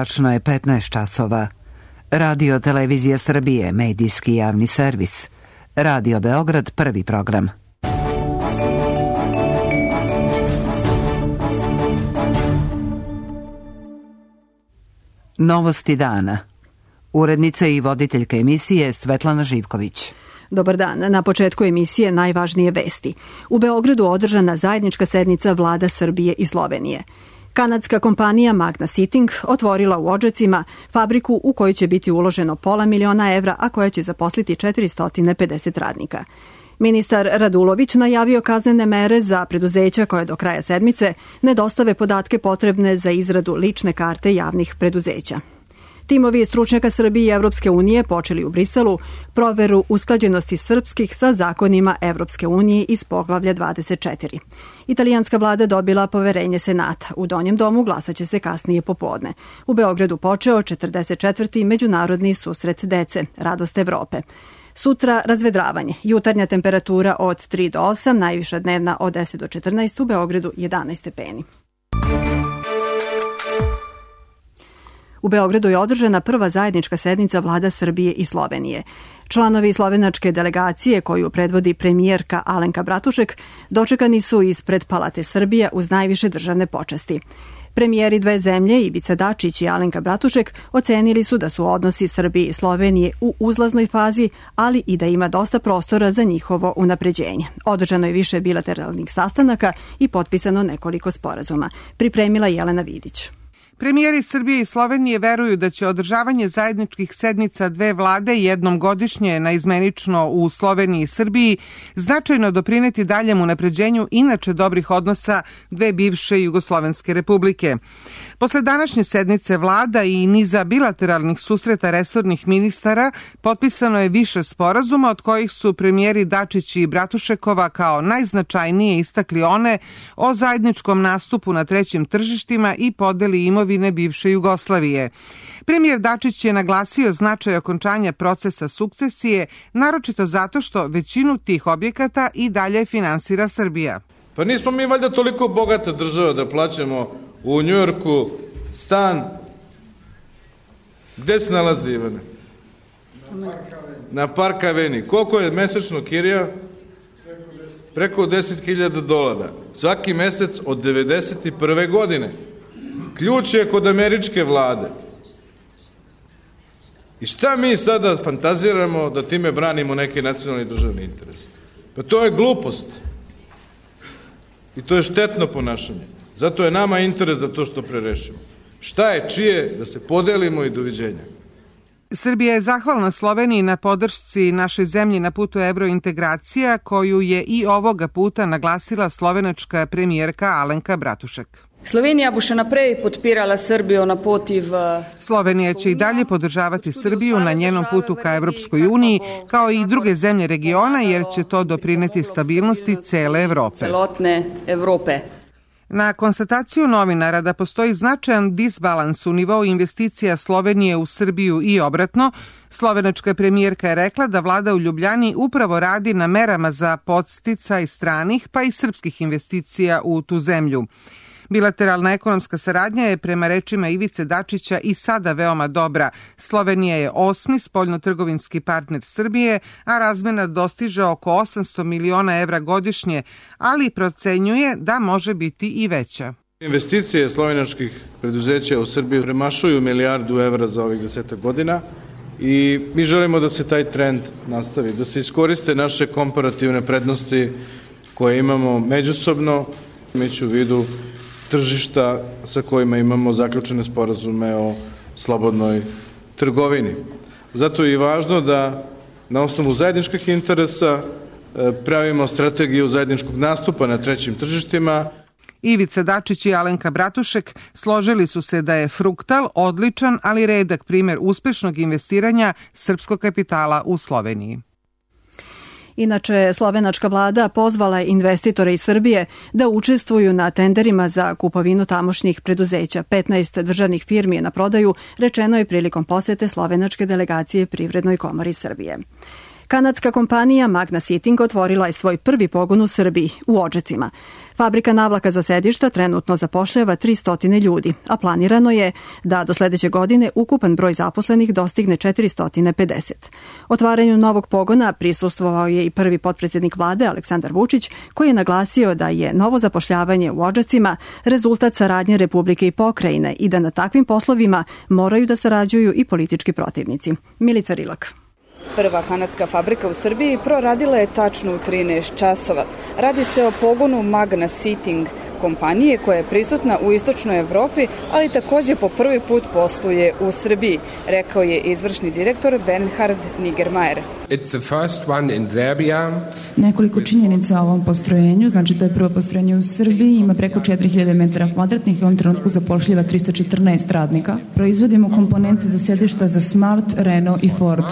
Tačno je 15 časova. Radio Televizija Srbije, medijski javni servis. Radio Beograd, prvi program. Novosti dana. Urednica i voditeljka emisije Svetlana Živković. Dobar dan. Na početku emisije najvažnije vesti. U Beogradu održana zajednička sednica vlada Srbije i Slovenije. Kanadska kompanija Magna Seating otvorila u Odžacima fabriku u kojoj će biti uloženo $500.000 evra, a koja će zaposliti 450 radnika. Ministar Radulović najavio kaznene mere za preduzeća koje do kraja sedmice ne dostave podatke potrebne za izradu lične karte javnih preduzeća. Timovi stručnjaka Srbije i Evropske unije počeli u Briselu proveru usklađenosti srpskih sa zakonima Evropske unije iz poglavlja 24. Italijanska vlada dobila poverenje Senata. U Donjem domu glasaće se kasnije popodne. U Beogradu počeo 44. međunarodni susret dece, Radost Evrope. Sutra razvedravanje. Jutarnja temperatura od 3 do 8, najviša dnevna od 10 do 14, u Beogradu 11 stepeni. U Beogradu je održana prva zajednička sednica vlada Srbije i Slovenije. Članovi slovenačke delegacije, koju predvodi premijerka Alenka Bratušek, dočekani su ispred Palate Srbije uz najviše državne počasti. Premijeri dve zemlje, Ivica Dačić i Alenka Bratušek, ocenili su da su odnosi Srbije i Slovenije u uzlaznoj fazi, ali i da ima dosta prostora za njihovo unapređenje. Održano je više bilateralnih sastanaka i potpisano nekoliko sporazuma. Pripremila Jelena Vidić. Premijeri Srbije i Slovenije veruju da će održavanje zajedničkih sednica dve vlade jednom godišnje naizmenično u Sloveniji i Srbiji značajno doprineti daljem unapređenju inače dobrih odnosa dve bivše jugoslovenske republike. Posle današnje sednice vlada i niza bilateralnih susreta resornih ministara potpisano je više sporazuma, od kojih su premijeri Dačić i Bratušekova kao najznačajnije istakli one o zajedničkom nastupu na trećim tržištima i podeli imovine bivše Jugoslavije. Premijer Dačić je naglasio značaj okončanja procesa sukcesije, naročito zato što većinu tih objekata i dalje finansira Srbija. Pa nismo mi valjda toliko bogata država da plaćamo u Njujorku stan. Gde se nalazi, Ivane? Na Park Avenue. Koliko je mesečno kirija? Preko $10.000. Svaki mesec od 1991. godine. Ključ je kod američke vlade. I šta mi sada fantaziramo da time branimo neki nacionalni državni interes? Pa to je glupost. I to je štetno ponašanje. Zato je nama interes da to što pre rešimo. Šta je čije, da se podelimo i doviđenja. Srbija je zahvalna Sloveniji na podršci našoj zemlji na putu evrointegracija, koju je i ovoga puta naglasila slovenačka premijerka Alenka Bratušek. Slovenija bo še naprej podpirala Srbijo na poti v... Slovenija će i dalje podržavati Srbiju na njenom putu ka Evropskoj uniji, kao i druge zemlje regiona, jer će to doprineti stabilnosti cele Evrope. Celotne Evrope. Na konstataciju novinara da postoji značajan disbalans u nivou investicija Slovenije u Srbiju i obratno, slovenačka premijerka je rekla da vlada u Ljubljani upravo radi na merama za podsticaj stranih pa i srpskih investicija u tu zemlju. Bilateralna ekonomska saradnja je prema rečima Ivice Dačića i sada veoma dobra. Slovenija je 8. spoljnotrgovinski partner Srbije, a razmena dostiže oko 800 miliona evra godišnje, ali procenjuje da može biti i veća. Investicije slovenačkih preduzeća u Srbiji premašuju milijardu evra za ovih 10 godina i mi želimo da se taj trend nastavi, da se iskoriste naše komparativne prednosti koje imamo međusobno, imajući u vidu tržišta sa kojima imamo zaključene sporazume o slobodnoj trgovini. Zato je i važno da na osnovu zajedničkih interesa pravimo strategiju zajedničkog nastupa na trećim tržištima. Ivica Dačić i Alenka Bratušek složili su se da je Fruktal odličan, ali redak primjer uspešnog investiranja srpskog kapitala u Sloveniji. Inače, slovenačka vlada pozvala je investitore iz Srbije da učestvuju na tenderima za kupovinu tamošnjih preduzeća. 15 državnih firmi je na prodaju, rečeno je prilikom posete slovenačke delegacije Privrednoj komori Srbije. Kanadska kompanija Magna Seating otvorila je svoj prvi pogon u Srbiji, u Odžacima. Fabrika navlaka za sedišta trenutno zapošljava 300 ljudi, a planirano je da do sledeće godine ukupan broj zaposlenih dostigne 450. Otvaranju novog pogona prisustvovao je i prvi potpredsednik vlade Aleksandar Vučić, koji je naglasio da je novo zapošljavanje u Odžacima rezultat saradnje Republike i pokrajine i da na takvim poslovima moraju da sarađuju i politički protivnici. Milica Rilak. Prva kanadska fabrika u Srbiji proradila je tačno u 13 časova. Radi se o pogonu Magna Seating kompanije koja je prisutna u istočnoj Evropi, ali takođe po prvi put posluje u Srbiji, rekao je izvršni direktor Bernhard Nigermayer. Nekoliko činjenica o ovom postrojenju, znači to je prvo postrojenje u Srbiji, ima preko 4000 metara kvadratnih i u ovom trenutku zapošljava 314 radnika. Proizvodimo komponente za sedišta za Smart, Renault i Ford.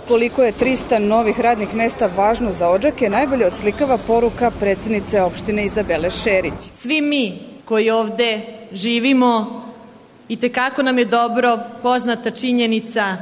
Koliko je 300 novih radnih mesta važno za Odžake, najbolje odslikava poruka predsjednice opštine Izabele Šerić. Svi mi koji ovde živimo, i tekako nam je dobro poznata činjenica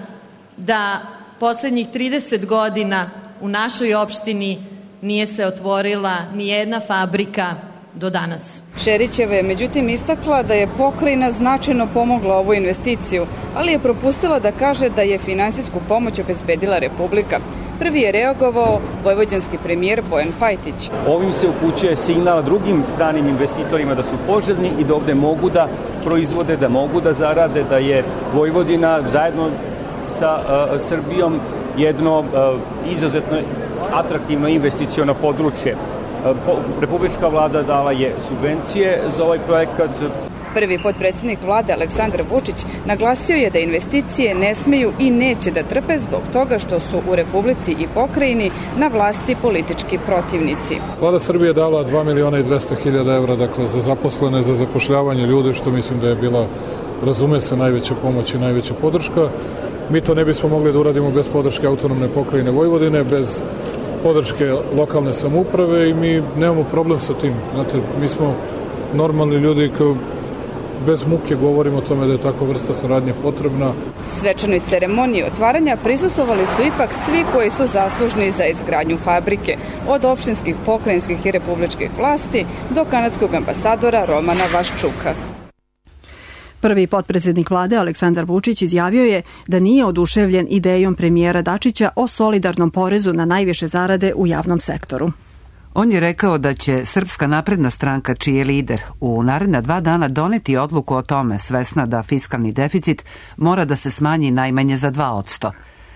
da poslednjih 30 godina u našoj opštini nije se otvorila ni jedna fabrika do danas. Šerićeva je međutim istakla da je pokrajina značajno pomogla ovu investiciju, ali je propustila da kaže da je finansijsku pomoć obezbedila Republika. Prvi je reagovao vojvođanski premijer Bojan Pajtić. Ovim se upućuje signal drugim stranim investitorima da su poželjni i da ovde mogu da proizvode, da mogu da zarade, da je Vojvodina zajedno sa Srbijom jedno izuzetno atraktivno investiciono područje. Republička vlada dala je subvencije za ovaj projekat. Prvi potpredsjednik vlade Aleksandar Vučić naglasio je da investicije ne smeju i neće da trpe zbog toga što su u Republici i pokrajini na vlasti politički protivnici. Vlada Srbije dala 2.200.000 evra dakle, za zaposlene, za zapošljavanje ljudi, što mislim da je bila, razume se, najveća pomoć i najveća podrška. Mi to ne bismo mogli da uradimo bez podrške autonomne pokrajine Vojvodine, bez podrške lokalne samouprave i mi nemamo problem sa tim. Znate, mi smo normalni ljudi koji bez muke govorimo o tome da je takva vrsta saradnje potrebna. Svečanoj ceremoniji otvaranja prisustvovali su ipak svi koji su zaslužni za izgradnju fabrike, od opštinskih, pokrajinskih i republičkih vlasti do kanadskog ambasadora Romana Vaščuka. Prvi potpredsjednik vlade Aleksandar Vučić izjavio je da nije oduševljen idejom premijera Dačića o solidarnom porezu na najviše zarade u javnom sektoru. On je rekao da će Srpska napredna stranka, čiji je lider, u naredna 2 dana doneti odluku o tome, svesna da fiskalni deficit mora da se smanji najmanje za 2%.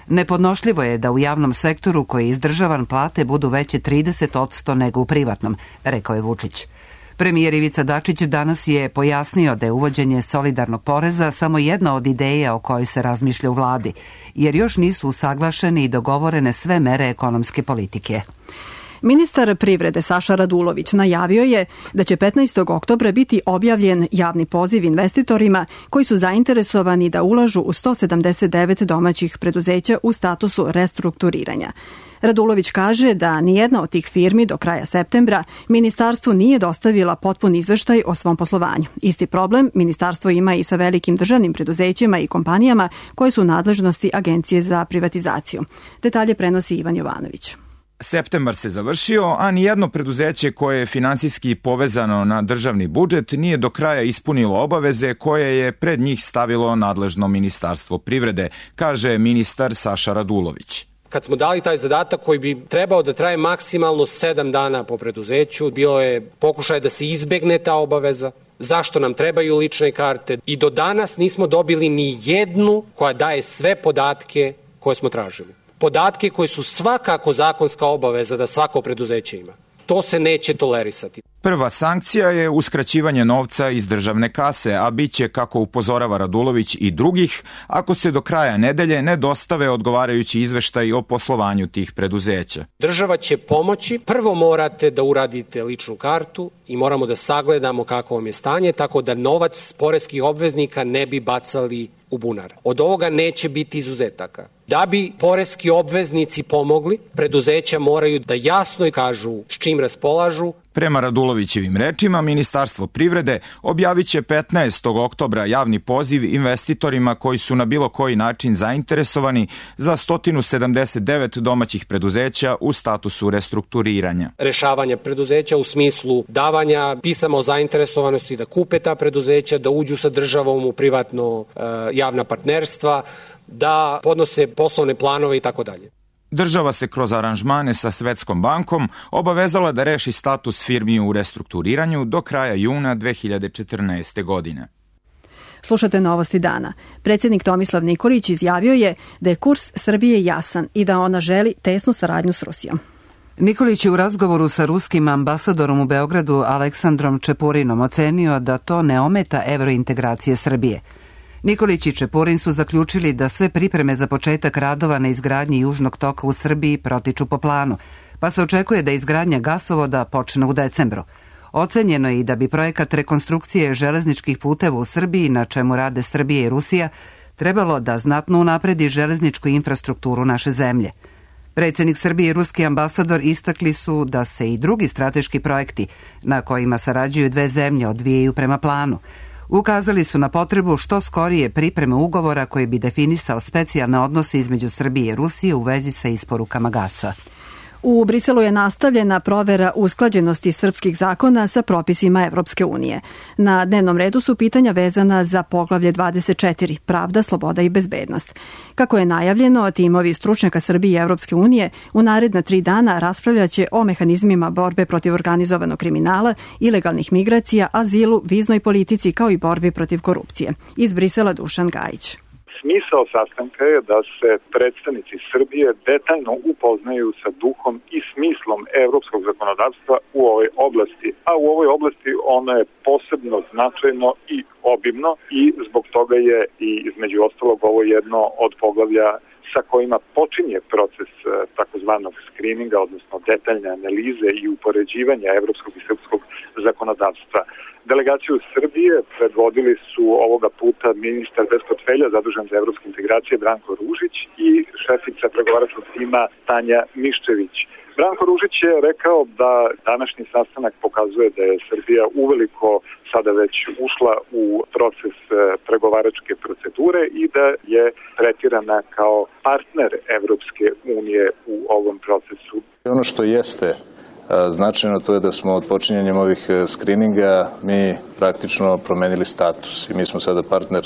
Nepodnošljivo je da u javnom sektoru koji je izdržavan plate budu veće 30% nego u privatnom, rekao je Vučić. Premijer Ivica Dačić danas je pojasnio da je uvođenje solidarnog poreza samo jedna od ideja o kojoj se razmišlja u vladi, jer još nisu usaglašene i dogovorene sve mere ekonomske politike. Ministar privrede Saša Radulović najavio je da će 15. oktobra biti objavljen javni poziv investitorima koji su zainteresovani da ulažu u 179 domaćih preduzeća u statusu restrukturiranja. Radulović kaže da nijedna od tih firmi do kraja septembra ministarstvu nije dostavila potpun izveštaj o svom poslovanju. Isti problem ministarstvo ima i sa velikim državnim preduzećima i kompanijama koje su u nadležnosti Agencije za privatizaciju. Detalje prenosi Ivan Jovanović. Septembar se završio, a nijedno preduzeće koje je finansijski povezano na državni budžet nije do kraja ispunilo obaveze koje je pred njih stavilo nadležno Ministarstvo privrede, kaže ministar Saša Radulović. Kad smo dali taj zadatak koji bi trebao da traje maksimalno 7 dana po preduzeću, bilo je pokušaj da se izbegne ta obaveza, zašto nam trebaju lične karte i do danas nismo dobili ni jednu koja daje sve podatke koje smo tražili. Podatke koje su svakako zakonska obaveza da svako preduzeće ima. To se neće tolerisati. Prva sankcija je uskraćivanje novca iz državne kase, a bit će, kako upozorava Radulović, i drugih, ako se do kraja nedelje ne dostave odgovarajući izveštaj o poslovanju tih preduzeća. Država će pomoći. Prvo morate da uradite ličnu kartu i moramo da sagledamo kako vam je stanje, tako da novac poreskih obveznika ne bi bacali u bunar. Od ovoga neće biti izuzetaka. Da bi poreski obveznici pomogli, preduzeća moraju da jasno kažu s čim raspolažu. Prema Radulovićevim rečima, Ministarstvo privrede objavit će 15. oktobra javni poziv investitorima koji su na bilo koji način zainteresovani za 179 domaćih preduzeća u statusu restrukturiranja. Rešavanja preduzeća u smislu davanja pisama o zainteresovanosti da kupe ta preduzeća, da uđu sa državom u privatno javna partnerstva, da podnose poslovne planove i tako dalje. Država se kroz aranžmane sa Svetskom bankom obavezala da reši status firmi u restrukturiranju do kraja juna 2014. godine. Slušate Novosti dana. Predsjednik Tomislav Nikolić izjavio je da je kurs Srbije jasan i da ona želi tesnu saradnju s Rusijom. Nikolić je u razgovoru sa ruskim ambasadorom u Beogradu Aleksandrom Čepurinom ocenio da to ne ometa evrointegracije Srbije. Nikolić i Čepurin su zaključili da sve pripreme za početak radova na izgradnji Južnog toka u Srbiji protiču po planu, pa se očekuje da izgradnja gasovoda počne u decembru. Ocenjeno je i da bi projekat rekonstrukcije železničkih puteva u Srbiji, na čemu rade Srbija i Rusija, trebalo da znatno unapredi železničku infrastrukturu naše zemlje. Predsjednik Srbije i ruski ambasador istakli su da se i drugi strateški projekti na kojima sarađuju dve zemlje odvijaju prema planu. Ukazali su na potrebu što skorije pripreme ugovora koji bi definisao specijalne odnose između Srbije i Rusije u vezi sa isporukama gasa. U Briselu je nastavljena provera usklađenosti srpskih zakona sa propisima Evropske unije. Na dnevnom redu su pitanja vezana za poglavlje 24, pravda, sloboda i bezbednost. Kako je najavljeno, timovi stručnjaka Srbije i Evropske unije u naredna 3 dana raspravljaće o mehanizmima borbe protiv organizovanog kriminala, ilegalnih migracija, azilu, viznoj politici kao i borbi protiv korupcije. Iz Brisela Dušan Gajić. Smisao sastanka je da se predstavnici Srbije detaljno upoznaju sa duhom i smislom evropskog zakonodavstva u ovoj oblasti, a u ovoj oblasti ono je posebno značajno i obimno i zbog toga je i između ostalog ovo jedno od poglavlja sa kojima počinje proces takozvanog skrininga, odnosno detaljne analize i upoređivanja evropskog i srpskog zakonodavstva. Delegaciju Srbije predvodili su ovoga puta ministar bez portfelja zadužen za evropske integracije Branko Ružić i šefica pregovaračkog tima Tanja Miščević. Branko Ružić je rekao da današnji sastanak pokazuje da je Srbija uveliko sada već ušla u proces pregovaračke procedure i da je tretirana kao partner Evropske unije u ovom procesu. Ono što jeste značajno to je da smo od počinjenjem ovih skrininga mi praktično promenili status i mi smo sada partner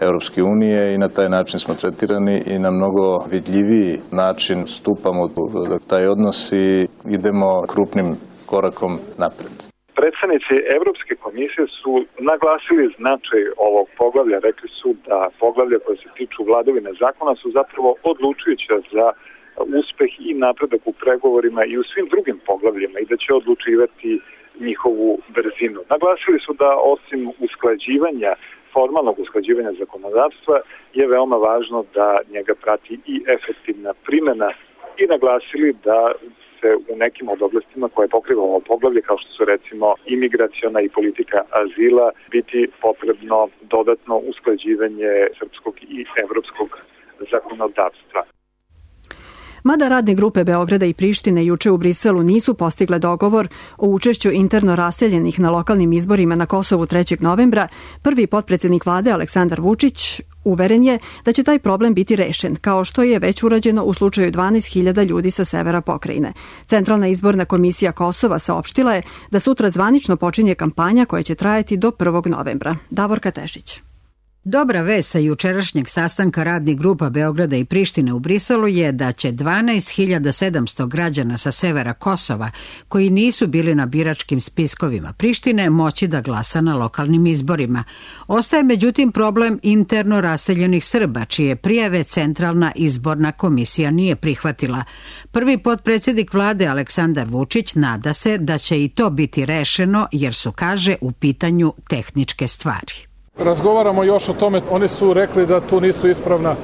Evropske unije i na taj način smo tretirani i na mnogo vidljiviji način stupamo u taj odnos i idemo krupnim korakom napred. Predstavnici Evropske komisije su naglasili značaj ovog poglavlja. Rekli su da poglavlja koje se tiču vladavine zakona su zapravo odlučujuća za uspeh i napredak u pregovorima i u svim drugim poglavljima i da će odlučivati njihovu brzinu. Naglasili su da osim usklađivanja, formalnog usklađivanja zakonodavstva je veoma važno da njega prati i efektivna primjena i naglasili da se u nekim od oblastima koje pokriva ovo poglavlje, kao što su recimo imigraciona i politika azila, biti potrebno dodatno usklađivanje srpskog i evropskog zakonodavstva. Mada radne grupe Beograda i Prištine juče u Briselu nisu postigle dogovor o učešću interno raseljenih na lokalnim izborima na Kosovu 3. novembra, prvi potpredsjednik vlade Aleksandar Vučić uveren je da će taj problem biti rešen, kao što je već urađeno u slučaju 12.000 ljudi sa severa pokrajine. Centralna izborna komisija Kosova saopštila je da sutra zvanično počinje kampanja koja će trajati do 1. novembra. Davorka Tešić. Dobra vest sa jučerašnjeg sastanka radnih grupa Beograda i Prištine u Briselu je da će 12.700 građana sa severa Kosova, koji nisu bili na biračkim spiskovima Prištine, moći da glasa na lokalnim izborima. Ostaje međutim problem interno raseljenih Srba, čije prijave Centralna izborna komisija nije prihvatila. Prvi potpredsjednik vlade Aleksandar Vučić nada se da će i to biti rešeno, jer su, kaže, u pitanju tehničke stvari. Razgovaramo još o tome, oni su rekli da tu nisu ispravna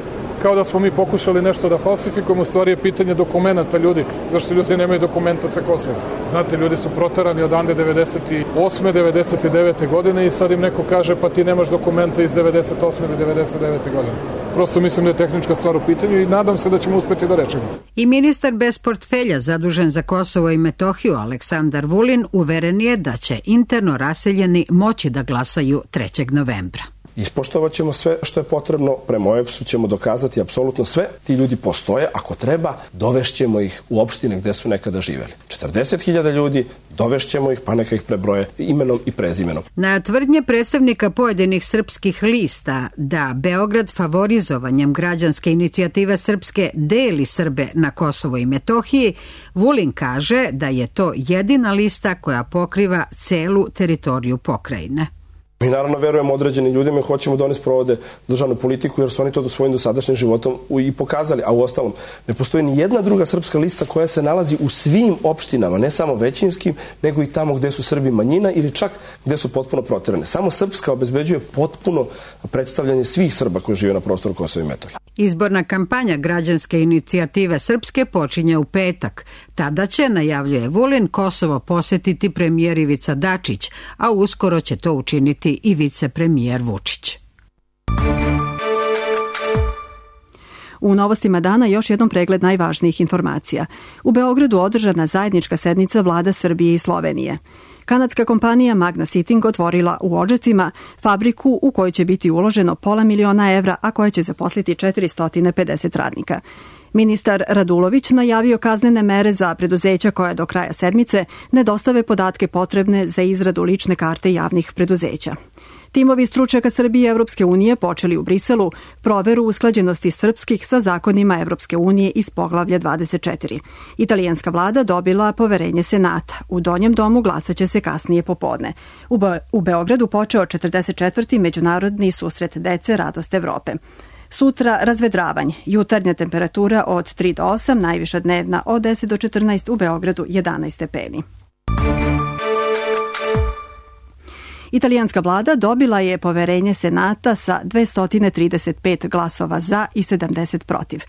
kao da smo mi pokušali nešto da falsifikujemo, u stvari je pitanje dokumenta ljudi, zašto ljudi nemaju dokumenta sa Kosova. Znate, ljudi su proterani odande 98. 99. godine i sad im neko kaže pa ti nemaš dokumenta iz 98. ili 99. godine. Prosto mislim da je tehnička stvar u pitanju i nadam se da ćemo uspeti da rečemo. I ministar bez portfelja zadužen za Kosovo i Metohiju Aleksandar Vulin uveren je da će interno raseljeni moći da glasaju 3. novembra. Ispoštovat ćemo sve što je potrebno, prema OEBS-u ćemo dokazati apsolutno sve, ti ljudi postoje, ako treba, dovešćemo ih u opštine gde su nekada živeli. 40.000 ljudi, dovešćemo ih, pa neka ih prebroje imenom i prezimenom. Na tvrdnje predstavnika pojedinih srpskih lista da Beograd favorizovanjem građanske inicijative Srpske deli Srbe na Kosovo i Metohiji, Vulin kaže da je to jedina lista koja pokriva celu teritoriju pokrajine. Mi naravno verujemo određenim ljudima i hoćemo da oni sprovode državnu politiku jer su oni to svojim dosadašnjim životom i pokazali. A uostalom, ne postoji ni jedna druga srpska lista koja se nalazi u svim opštinama, ne samo većinskim, nego i tamo gde su Srbi manjina ili čak gde su potpuno proterane. Samo Srpska obezbeđuje potpuno predstavljanje svih Srba koji žive na prostoru Kosova i Metohije. Izborna kampanja građanske inicijative Srpske počinje u petak. Tada će, najavljuje Vulin, Kosovo posetiti premijer Ivica Dačić, a uskoro će to učiniti i vicepremijer Vučić. U novostima dana još jednom pregled najvažnijih informacija. U Beogradu održana zajednička sednica vlada Srbije i Slovenije. Kanadska kompanija Magna Sitting otvorila u Odžacima fabriku u kojoj će biti uloženo $500.000 evra, a koja će zaposliti 450 radnika. Ministar Radulović najavio kaznene mere za preduzeća koja do kraja sedmice ne dostave podatke potrebne za izradu lične karte javnih preduzeća. Timovi stručnjaka Srbije i Evropske unije počeli u Briselu proveru usklađenosti srpskih sa zakonima Evropske unije iz poglavlja 24. Italijanska vlada dobila poverenje Senata. U Donjem domu glasaće se kasnije popodne. U Beogradu počeo 44. međunarodni susret dece Radost Evrope. Sutra razvedravanje, jutarnja temperatura od 3 do 8, najviša dnevna od 10 do 14, u Beogradu 11 stepeni. Italijanska vlada dobila je poverenje Senata sa 235 glasova za i 70 protiv.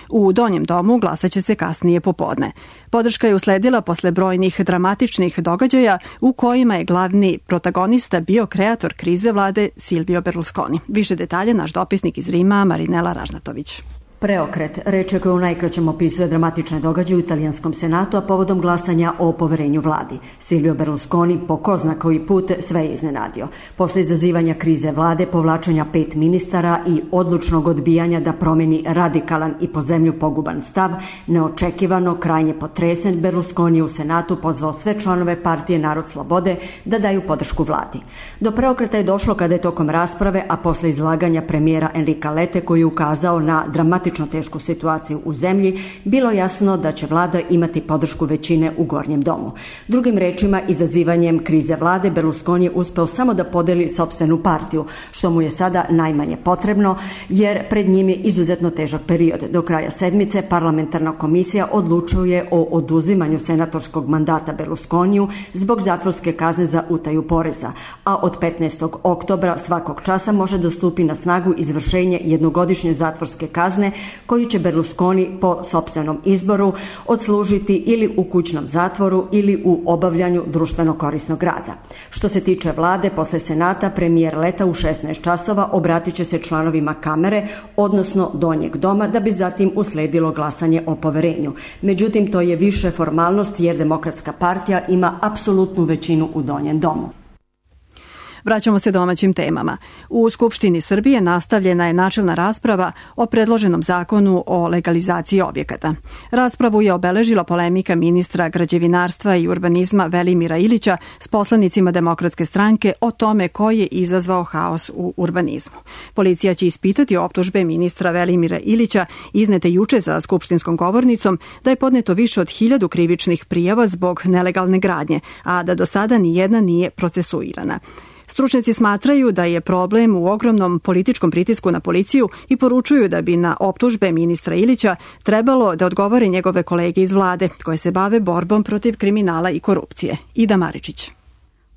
U Donjem domu glasaće se kasnije popodne. Podrška je usledila posle brojnih dramatičnih događaja u kojima je glavni protagonista bio kreator krize vlade Silvio Berlusconi. Više detalje naš dopisnik iz Rima Marinela Ražnatović. Preokret, reč je koja u najkraćem opisuje dramatične događaje u italijanskom senatu, a povodom glasanja o poverenju vladi. Silvio Berlusconi po ko zna koji put sve je iznenadio. Posle izazivanja krize vlade, povlačenja 5 ministara i odlučnog odbijanja da promeni radikalan i po zemlju poguban stav, neočekivano, krajnje potresen, Berlusconi u senatu pozvao sve članove partije Narod slobode da daju podršku vladi. Do preokreta je došlo kada je tokom rasprave, a posle izlaganja premijera Enrika Lete koji je ukazao na dramatičnu tešku situaciju u zemlji, bilo jasno da će vlada imati podršku većine u Gornjem domu. Drugim rečima, izazivanjem krize vlade, Berlusconi je uspeo samo da podeli sopstvenu partiju, što mu je sada najmanje potrebno, jer pred njim je izuzetno težak period. Do kraja sedmice parlamentarna komisija odlučuje o oduzimanju senatorskog mandata Berlusconiju zbog zatvorske kazne za utaju poreza, a od 15. oktobra svakog časa može da stupi na snagu izvršenje jednogodišnje zatvorske kazne koju će Berlusconi po sopstvenom izboru odslužiti ili u kućnom zatvoru ili u obavljanju društveno korisnog rada. Što se tiče vlade, posle Senata, premijer Leta u 16 časova obratit će se članovima kamere, odnosno Donjeg doma, da bi zatim usledilo glasanje o poverenju. Međutim, to je više formalnost jer Demokratska partija ima apsolutnu većinu u Donjem domu. Vraćamo se domaćim temama. U Skupštini Srbije nastavljena je načelna rasprava o predloženom zakonu o legalizaciji objekata. Raspravu je obeležila polemika ministra građevinarstva i urbanizma Velimira Ilića s poslanicima Demokratske stranke o tome ko je izazvao haos u urbanizmu. Policija će ispitati optužbe ministra Velimira Ilića iznete juče za skupštinskom govornicom da je podneto više od 1000 krivičnih prijava zbog nelegalne gradnje, a da do sada nijedna nije procesuirana. Stručnjaci smatraju da je problem u ogromnom političkom pritisku na policiju i poručuju da bi na optužbe ministra Ilića trebalo da odgovore njegove kolege iz vlade koje se bave borbom protiv kriminala i korupcije. Ida Maričić.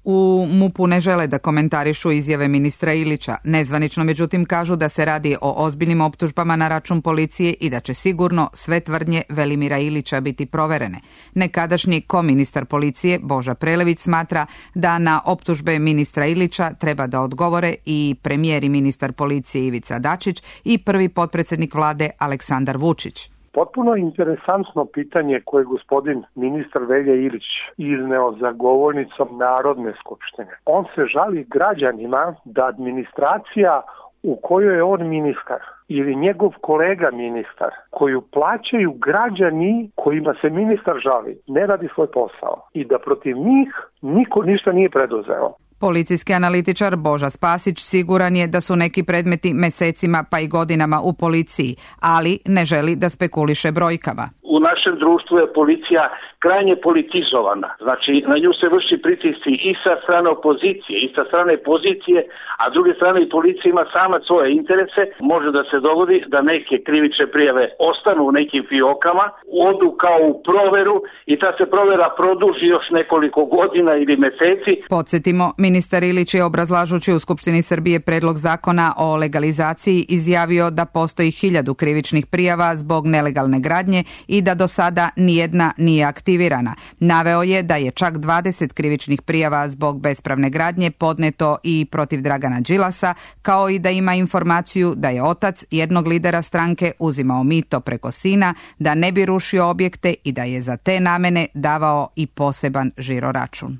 U MUP-u ne žele da komentarišu izjave ministra Ilića. Nezvanično, međutim, kažu da se radi o ozbiljnim optužbama na račun policije i da će sigurno sve tvrdnje Velimira Ilića biti proverene. Nekadašnji koministar policije Boža Prelević smatra da na optužbe ministra Ilića treba da odgovore i premijer i ministar policije Ivica Dačić i prvi potpredsednik vlade Aleksandar Vučić. Potpuno interesantno pitanje koje gospodin ministar Velja Ilić izneo za govornicom Narodne skupštine. On se žali građanima da administracija u kojoj je on ministar ili njegov kolega ministar, koju plaćaju građani kojima se ministar žali, ne radi svoj posao i da protiv njih niko ništa nije preduzeo. Policijski analitičar Boža Spasić siguran je da su neki predmeti mesecima pa i godinama u policiji, ali ne želi da spekuliše brojkama. U našem društvu je policija krajnje politizovana. Znači, na nju se vrši pritisci i sa strane opozicije, i sa strane pozicije, a s druge strane i policija ima sama svoje interese. Može da se dogodi da neke krivične prijave ostanu u nekim fiokama, odu kao u proveru i ta se provera produži još nekoliko godina ili meseci. Podsjetimo, ministar Ilić je obrazlažući u Skupštini Srbije predlog zakona o legalizaciji izjavio da postoji 1000 krivičnih prijava zbog nelegalne gradnje i da do sada nijedna nije aktivirana. Naveo je da je čak 20 krivičnih prijava zbog bespravne gradnje podneto i protiv Dragana Đilasa, kao i da ima informaciju da je otac jednog lidera stranke uzimao mito preko sina, da ne bi rušio objekte i da je za te namene davao i poseban žiroračun.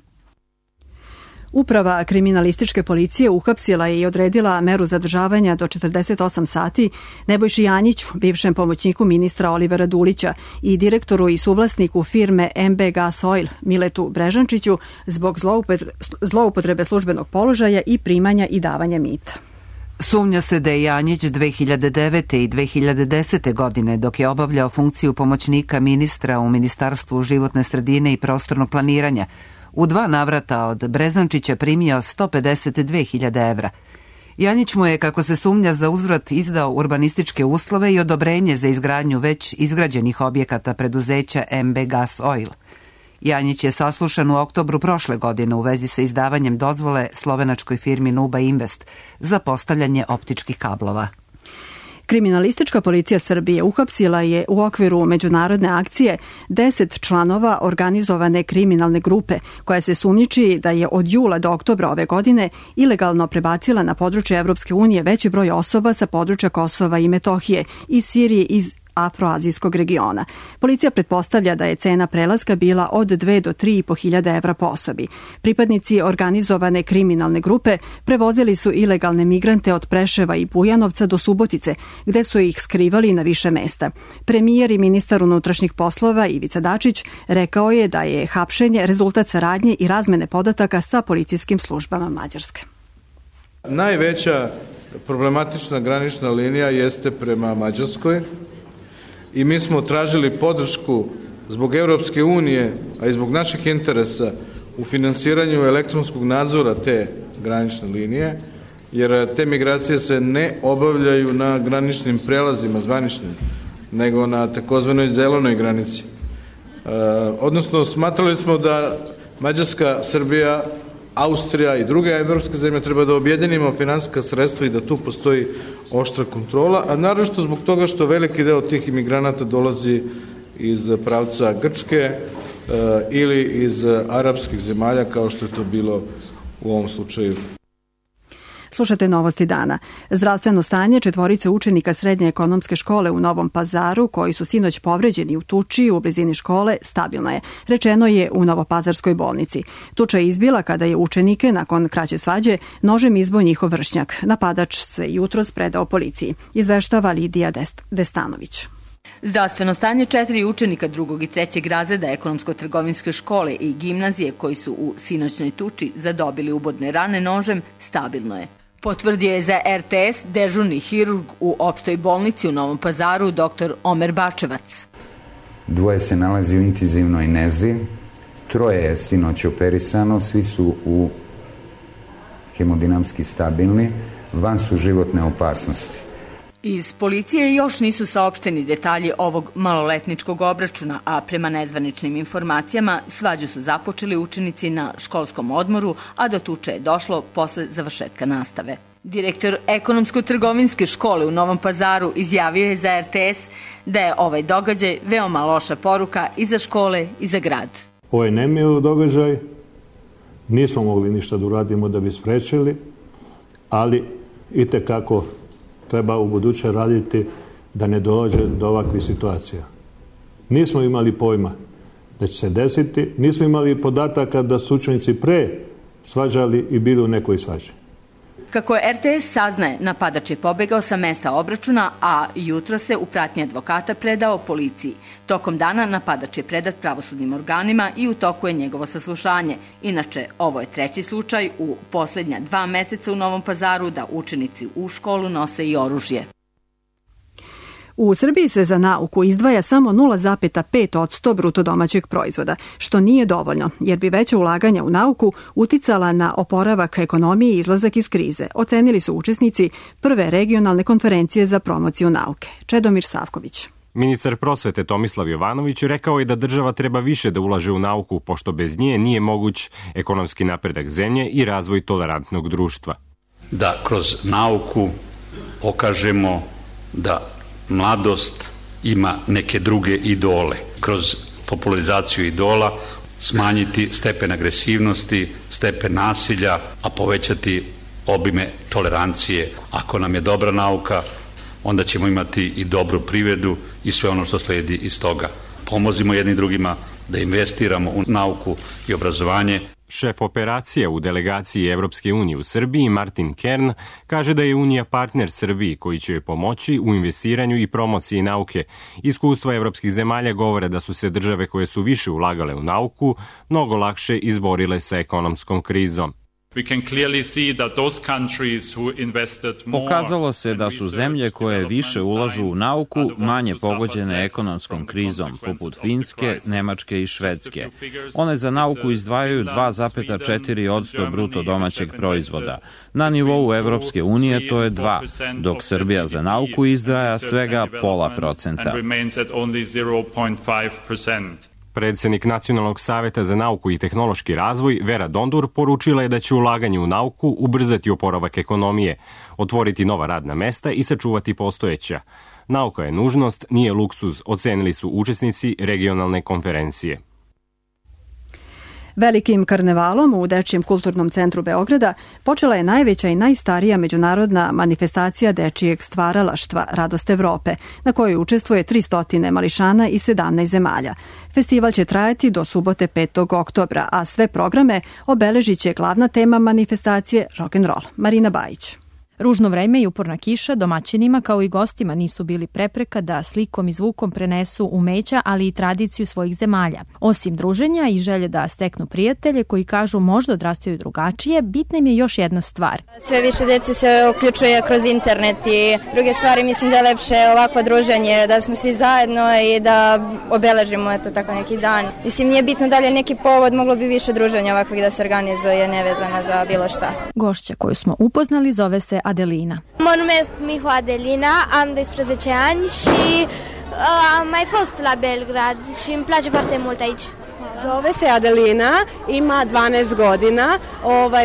Uprava kriminalističke policije uhapsila je i odredila meru zadržavanja do 48 sati Nebojši Janjiću, bivšem pomoćniku ministra Olivera Dulića i direktoru i suvlasniku firme MB Gas Oil Miletu Brežančiću zbog zloupotrebe službenog položaja i primanja i davanja mita. Sumnja se da je Janjić 2009. i 2010. godine, dok je obavljao funkciju pomoćnika ministra u Ministarstvu životne sredine i prostornog planiranja, u 2 navrata od Brezančića primio 152.000 evra. Janjić mu je, kako se sumnja, za uzvrat izdao urbanističke uslove i odobrenje za izgradnju već izgrađenih objekata preduzeća MB Gas Oil. Janjić je saslušan u oktobru prošle godine u vezi sa izdavanjem dozvole slovenačkoj firmi Nuba Invest za postavljanje optičkih kablova. Kriminalistička policija Srbije uhapsila je u okviru međunarodne akcije 10 članova organizovane kriminalne grupe koja se sumnjiči da je od jula do oktobra ove godine ilegalno prebacila na područje Evropske unije veći broj osoba sa područja Kosova i Metohije iz Sirije iz afroazijskog regiona. Policija pretpostavlja da je cena prelaska bila od 2 do 3.500 evra po osobi. Pripadnici organizovane kriminalne grupe prevozili su ilegalne migrante od Preševa i Bujanovca do Subotice, gde su ih skrivali na više mesta. Premijer i ministar unutrašnjih poslova Ivica Dačić rekao je da je hapšenje rezultat saradnje i razmene podataka sa policijskim službama Mađarske. Najveća problematična granična linija jeste prema Mađarskoj i mi smo tražili podršku zbog Europske unije, a i zbog naših interesa u finansiranju elektronskog nadzora te granične linije, jer te migracije se ne obavljaju na graničnim prelazima zvaničnim, nego na takozvanoj zelenoj granici. Odnosno, smatrali smo da Mađarska, Srbija, Austrija i druge evropske zemlje treba da objedinimo finansijska sredstva i da tu postoji oštra kontrola, a naročito zbog toga što veliki deo tih imigranata dolazi iz pravca Grčke ili iz arapskih zemalja, kao što je to bilo u ovom slučaju. Slušate Novosti dana. Zdravstveno stanje 4 učenika Srednje ekonomske škole u Novom Pazaru, koji su sinoć povređeni u tuči u blizini škole, stabilno je. Rečeno je u Novopazarskoj bolnici. Tuča je izbila kada je učenike, nakon kraće svađe, nožem izbio njihov vršnjak. Napadač se jutros predao policiji. Izveštava Lidija Destanović. Zdravstveno stanje 4 učenika 2. i 3. razreda ekonomsko-trgovinske škole i gimnazije koji su u sinoćnoj tuči zadobili ubodne rane nožem, stabilno je. Potvrdio je za RTS dežurni hirurg u opštoj bolnici u Novom Pazaru dr. Omer Bačevac. 2 se nalazi u intenzivnoj nezi, 3 je sinoć operisano, svi su u hemodinamski stabilni, van su životne opasnosti. Iz policije još nisu saopšteni detalji ovog maloletničkog obračuna, a prema nezvaničnim informacijama svađu su započeli učenici na školskom odmoru, a do tuče je došlo posle završetka nastave. Direktor ekonomsko-trgovinske škole u Novom Pazaru izjavio je za RTS da je ovaj događaj veoma loša poruka i za škole i za grad. Ovo je nemilo događaj, nismo mogli ništa da uradimo da bi sprečili, ali itekako treba u buduće raditi da ne dođe do ovakvih situacija. Nismo imali pojma da će se desiti, nismo imali podataka da su učenici pre svađali i bili u nekoj svađi. Kako je RTS saznaje, napadač je pobegao sa mesta obračuna, a jutro se u pratnji advokata predao policiji. Tokom dana napadač je predat pravosudnim organima i u toku je njegovo saslušanje. Inače, ovo je treći slučaj u poslednja 2 meseca u Novom Pazaru da učenici u školu nose i oružje. U Srbiji se za nauku izdvaja samo 0,5% bruto domaćeg proizvoda, što nije dovoljno, jer bi veća ulaganja u nauku uticala na oporavak ekonomije i izlazak iz krize, ocenili su učesnici prve regionalne konferencije za promociju nauke. Čedomir Savković. Ministar prosvete Tomislav Jovanović rekao je da država treba više da ulaže u nauku, pošto bez nje nije moguć ekonomski napredak zemlje i razvoj tolerantnog društva. Da kroz nauku pokažemo da mladost ima neke druge idole. Kroz popularizaciju idola smanjiti stepen agresivnosti, stepen nasilja, a povećati obime tolerancije. Ako nam je dobra nauka, onda ćemo imati i dobru privredu i sve ono što sledi iz toga. Pomozimo jedni drugima da investiramo u nauku i obrazovanje. Šef operacije u delegaciji Evropske unije u Srbiji, Martin Kern, kaže da je Unija partner Srbiji koji će joj pomoći u investiranju i promociji nauke. Iskustva evropskih zemalja govore da su se države koje su više ulagale u nauku mnogo lakše izborile sa ekonomskom krizom. Pokazalo se da su zemlje koje više ulažu u nauku manje pogođene ekonomskom krizom, poput Finske, Nemačke i Švedske. One za nauku izdvajaju 2,4% bruto domaćeg proizvoda. Na nivou Evropske unije to je 2%, dok Srbija za nauku izdvaja svega 0,5%. Predsednik Nacionalnog saveta za nauku i tehnološki razvoj, Vera Dondur, poručila je da će ulaganje u nauku ubrzati oporavak ekonomije, otvoriti nova radna mesta i sačuvati postojeća. Nauka je nužnost, nije luksuz, ocenili su učesnici regionalne konferencije. Velikim karnevalom u Dečijem kulturnom centru Beograda počela je najveća i najstarija međunarodna manifestacija dečijeg stvaralaštva Radost Evrope, na kojoj učestvuje 300 mališana iz 17 zemalja. Festival će trajati do subote 5. oktobra, a sve programe obeležit će glavna tema manifestacije rock'n'roll. Marina Bajić. Ružno vreme i uporna kiša domaćinima kao i gostima nisu bili prepreka da slikom i zvukom prenesu umeća, ali i tradiciju svojih zemalja. Osim druženja i želje da steknu prijatelje koji kažu možda odrastaju drugačije, bitna im je još jedna stvar. Sve više dece se uključuje kroz internet i druge stvari, mislim da je lepše ovakvo druženje, da smo svi zajedno i da obeležimo tako neki dan. Mislim, nije bitno da li je neki povod, moglo bi više druženja ovakvih da se organizuje, nevezano za bilo šta. Gošća koju smo upoznali zove se Adelina. Mon nom est Miho Adelina, am 12 ani și am mai fost la Belgrad și îmi place foarte mult aici. Zove se Adelina, ima 12 godina,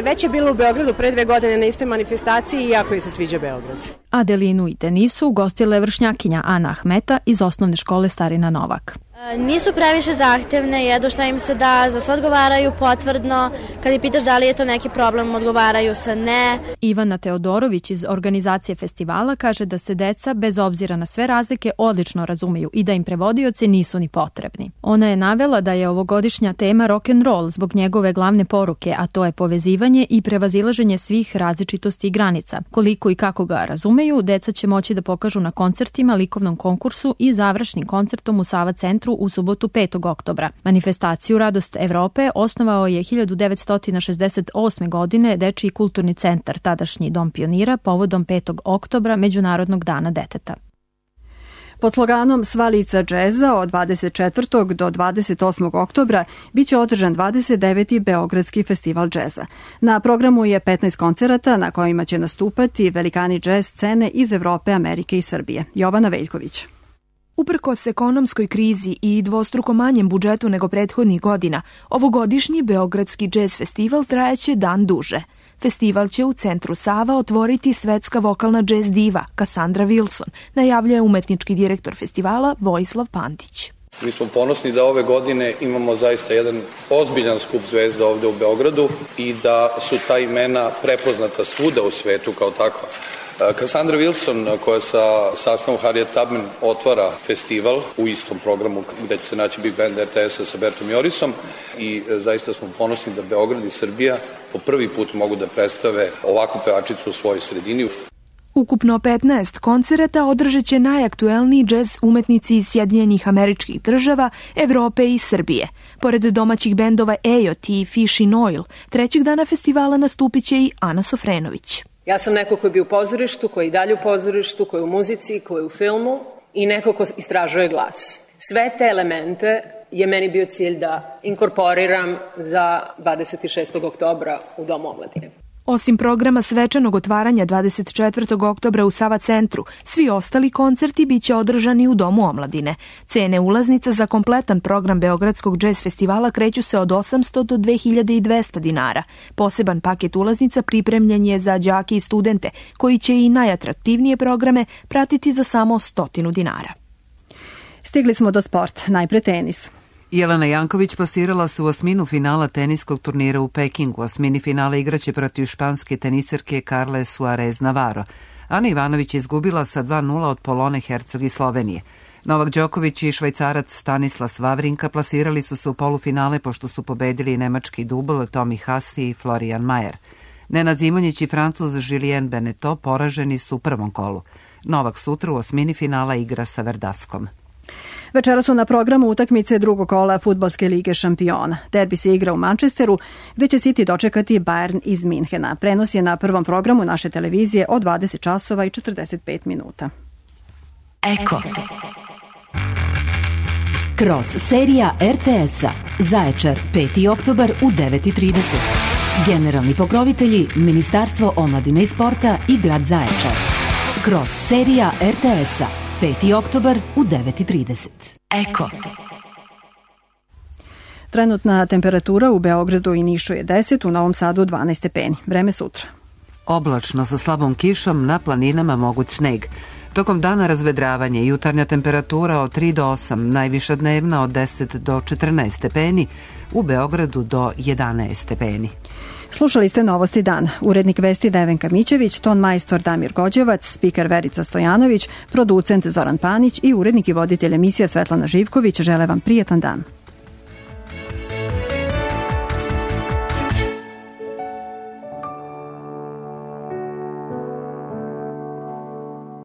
već je bila u Beogradu pre 2 godine na istoj manifestaciji i jako joj se sviđa Beograd. Adelinu i Denisu ugostila je vršnjakinja Ana Ahmeta iz osnovne škole Starina Novak. Nisu previše zahtevne, jedu šta im se da, za sve odgovaraju potvrdno, kad ih pitaš da li je to neki problem, odgovaraju se ne. Ivana Teodorović iz organizacije festivala kaže da se deca, bez obzira na sve razlike, odlično razumeju i da im prevodioci nisu ni potrebni. Ona je navela da je ovogodišnja tema rock'n'roll zbog njegove glavne poruke, a to je povezivanje i prevazilaženje svih različitosti i granica. Koliko i kako ga razumeju, deca će moći da pokažu na koncertima, likovnom konkursu i završnim koncertom u Sava centru u subotu 5. oktobra. Manifestaciju Radost Evrope osnovao je 1968. godine Dečiji kulturni centar, tadašnji Dom pionira, povodom 5. oktobra Međunarodnog dana deteta. Pod sloganom Sva lica džeza od 24. do 28. oktobra biće održan 29. Beogradski festival džeza. Na programu je 15 koncerata na kojima će nastupati velikani džez scene iz Evrope, Amerike i Srbije. Jovana Veljković. Uprkos ekonomskoj krizi i dvostruko manjem budžetu nego prethodnih godina, ovogodišnji Beogradski džez festival trajaće dan duže. Festival će u centru Sava otvoriti svetska vokalna džez diva Cassandra Wilson, najavljuje umetnički direktor festivala Vojislav Pantić. Mi smo ponosni da ove godine imamo zaista jedan ozbiljan skup zvezda ovde u Beogradu i da su ta imena prepoznata svuda u svetu kao takva. Cassandra Wilson, koja sa sastavom Harriet Tubman otvara festival u istom programu gde će se naći Big Band RTS-a sa Bertom Jorisom i zaista smo ponosni da Beograd i Srbija po prvi put mogu da predstave ovakvu pevačicu u svojoj sredini. Ukupno 15 koncerata održat će najaktuelniji džez umetnici iz Sjedinjenih Američkih Država, Evrope i Srbije. Pored domaćih bendova Ejot i Fish in Oil, trećeg dana festivala nastupit će i Ana Sofrenović. Ja sam neko ko je bio u pozorištu, ko je i dalje u pozorištu, ko je u muzici, ko je u filmu i neko ko istražuje glas. Sve te elemente je meni bio cilj da inkorporiram za 26. oktobra u Domu omladine. Osim programa svečanog otvaranja 24. oktobra u Sava centru, svi ostali koncerti biće održani u Domu omladine. Cene ulaznica za kompletan program Beogradskog džez festivala kreću se od 800 do 2200 dinara. Poseban paket ulaznica pripremljen je za đake i studente, koji će i najatraktivnije programe pratiti za samo 100 dinara. Stigli smo do sport, najpre tenis. Jelena Janković plasirala se u osminu finala teniskog turnira u Pekingu. Osmini finala igraće protiv španske teniserke Carle Suarez Navarro. Ana Ivanović je izgubila sa 2-0 od Polone Hercog iz Slovenije. Novak Đoković i Švajcarac Stanislas Wawrinka plasirali su se u polufinale pošto su pobedili nemački dubl Tommy Haas i Florian Mayer. Nenad Zimonjić i Francuz Julien Beneteau poraženi su u prvom kolu. Novak sutra u osmini finala igra sa Verdaskom. Večera su na programu utakmice drugog kola Fudbalske lige šampiona. Derbi se igra u Manchesteru, gde će City dočekati Bayern iz Minhena. Prenos je na prvom programu naše televizije od 20 časova i 45 minuta. Eko. Cross serija RTS-a. Zaječar, 5. oktobar u 9:30. Generalni pokrovitelji Ministarstvo omladine i sporta i grad Zaječar. Cross serija RTS-a. 5. oktobar u 9:30. Eko. Trenutna temperatura u Beogradu i Nišu je 10, u Novom Sadu 12 stepeni. Vreme sutra. Oblačno sa slabom kišom, na planinama moguć sneg. Tokom dana razvedravanje, jutarnja temperatura od 3 do 8, najviša dnevna od 10 do 14 stepeni, u Beogradu do 11 stepeni. Slušali ste Novosti dan. Urednik vesti Nevenka Mićević, ton majstor Damir Gođevac, spiker Verica Stojanović, producent Zoran Panić i urednik i voditelj emisija Svetlana Živković žele vam prijetan dan.